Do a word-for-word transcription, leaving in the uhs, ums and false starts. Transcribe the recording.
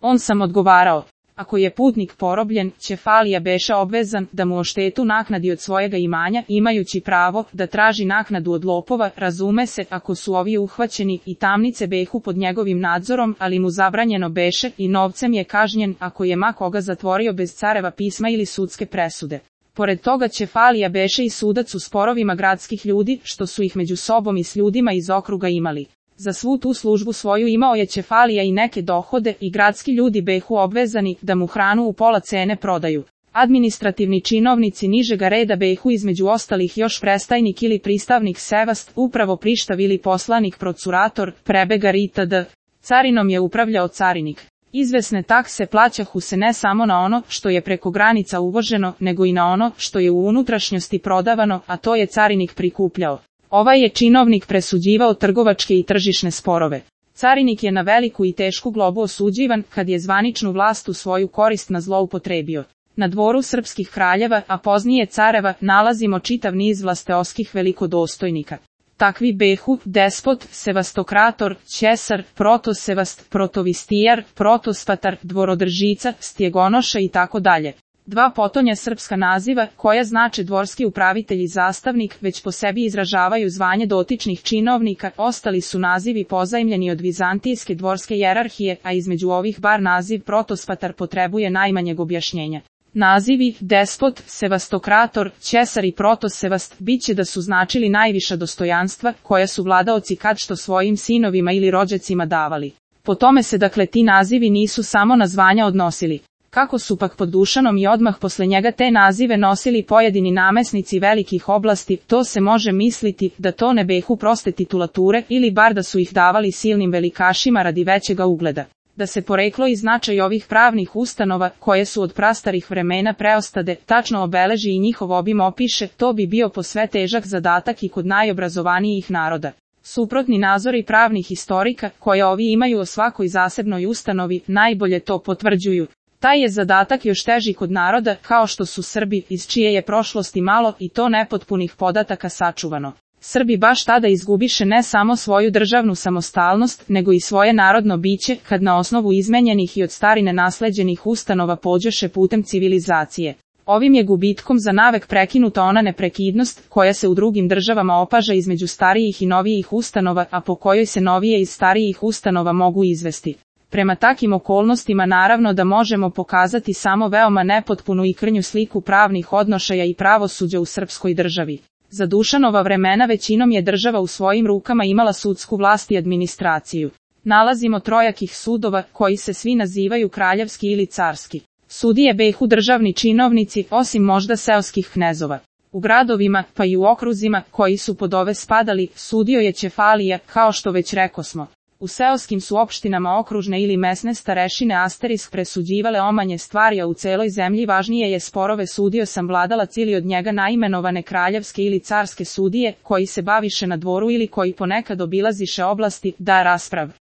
On sam odgovarao. Ako je putnik porobljen, Ćefalija beše obvezan da mu oštetu naknadi od svojega imanja, imajući pravo da traži naknadu od lopova, razume se, ako su ovi uhvaćeni, i tamnice behu pod njegovim nadzorom, ali mu zabranjeno beše i novcem je kažnjen ako je ma koga zatvorio bez careva pisma ili sudske presude. Pored toga Ćefalija beše i sudac u sporovima gradskih ljudi, što su ih među sobom i s ljudima iz okruga imali. Za svu tu službu svoju imao je Ćefalija i neke dohode i gradski ljudi behu obvezani da mu hranu u pola cene prodaju. Administrativni činovnici nižega reda behu između ostalih još prestajnik ili pristavnik sevast, upravo prištav ili poslanik procurator, prebegar itd. Carinom je upravljao carinik. Izvesne takse plaćahu se ne samo na ono što je preko granica uvoženo, nego i na ono što je u unutrašnjosti prodavano, a to je carinik prikupljao. Ovaj je činovnik presuđivao trgovačke i tržišne sporove. Carinik je na veliku i tešku globu osuđivan kad je zvaničnu vlast u svoju korist na zloupotrebio. Na dvoru srpskih kraljeva, a poznije careva, nalazimo čitav niz vlasteoskih velikodostojnika. Takvi behu, despot, sevastokrator, ćesar, protosevast, protovistijar, protospatar, dvorodržica, stjegonoša i tako dalje. Dva potonja srpska naziva, koja znače dvorski upravitelj i zastavnik, već po sebi izražavaju zvanje dotičnih činovnika, ostali su nazivi pozajmljeni od vizantijske dvorske jerarhije, a između ovih bar naziv protospatar potrebuje najmanjeg objašnjenja. Nazivi, despot, sevastokrator, ćesar i protosevast, bit će da su značili najviša dostojanstva, koja su vladaoci kad što svojim sinovima ili rođacima davali. Po tome se dakle ti nazivi nisu samo na zvanja odnosili. Kako su pak pod Dušanom i odmah posle njega te nazive nosili pojedini namesnici velikih oblasti, to se može misliti da to ne behu proste titulature ili bar da su ih davali silnim velikašima radi većega ugleda. Da se poreklo i značaj ovih pravnih ustanova, koje su od prastarih vremena preostade, tačno obeleži i njihov obim opiše, to bi bio posve težak zadatak i kod najobrazovanijih naroda. Suprotni nazori pravnih historika, koje ovi imaju o svakoj zasebnoj ustanovi, najbolje to potvrđuju. Taj je zadatak još teži kod naroda, kao što su Srbi, iz čije je prošlosti malo i to nepotpunih podataka sačuvano. Srbi baš tada izgubiše ne samo svoju državnu samostalnost, nego i svoje narodno biće, kad na osnovu izmenjenih i od starine nasleđenih ustanova pođeše putem civilizacije. Ovim je gubitkom za navek prekinuta ona neprekidnost, koja se u drugim državama opaža između starijih i novijih ustanova, a po kojoj se novije iz starijih ustanova mogu izvesti. Prema takim okolnostima naravno da možemo pokazati samo veoma nepotpunu i krnju sliku pravnih odnošaja i pravosuđa u srpskoj državi. Za Dušanova vremena većinom je država u svojim rukama imala sudsku vlast i administraciju. Nalazimo trojakih sudova, koji se svi nazivaju kraljevski ili carski. Sudije behu državni činovnici, osim možda seoskih knezova. U gradovima, pa i u okruzima, koji su pod ove spadali, sudio je Ćefalija, kao što već rekosmo. U seoskim su opštinama okružne ili mesne starešine asterisk presuđivale omanje stvari, a u celoj zemlji važnije je sporove sudio sam vladalac ili od njega naimenovane kraljevske ili carske sudije, koji se baviše na dvoru ili koji ponekad obilaziše oblasti, da rasprav.